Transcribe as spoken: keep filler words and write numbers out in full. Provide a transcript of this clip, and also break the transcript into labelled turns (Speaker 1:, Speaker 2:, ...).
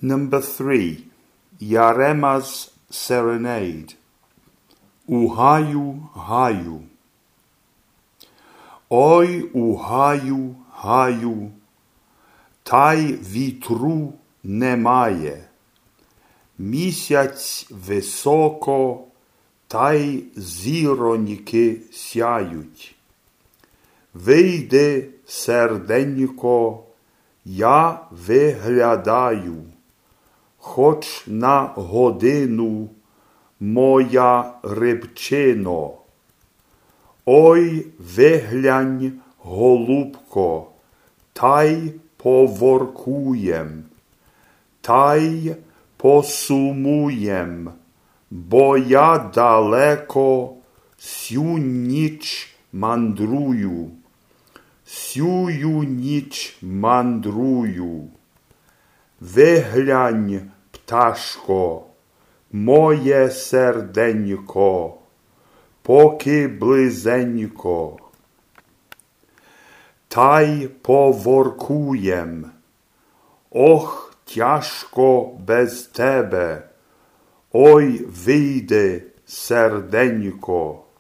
Speaker 1: Number three, Yarema's Serenade. Uhaju, haju. Oj, uhaju, haju, taj vitru немає. Місяць високо, та й зіроньки сяють. Вийди, серденько, я виглядаю, хоч на годину, моя рибчино. Ой, виглянь, голубко, та й поворкуєм, та й посумуєм, бо я далеко сю ніч мандрую, сюю ніч мандрую. Виглянь, пташко, моє серденько, поки близенько, та й поворкуєм. Ох, тяжко без тебе, ой, вийди, серденько.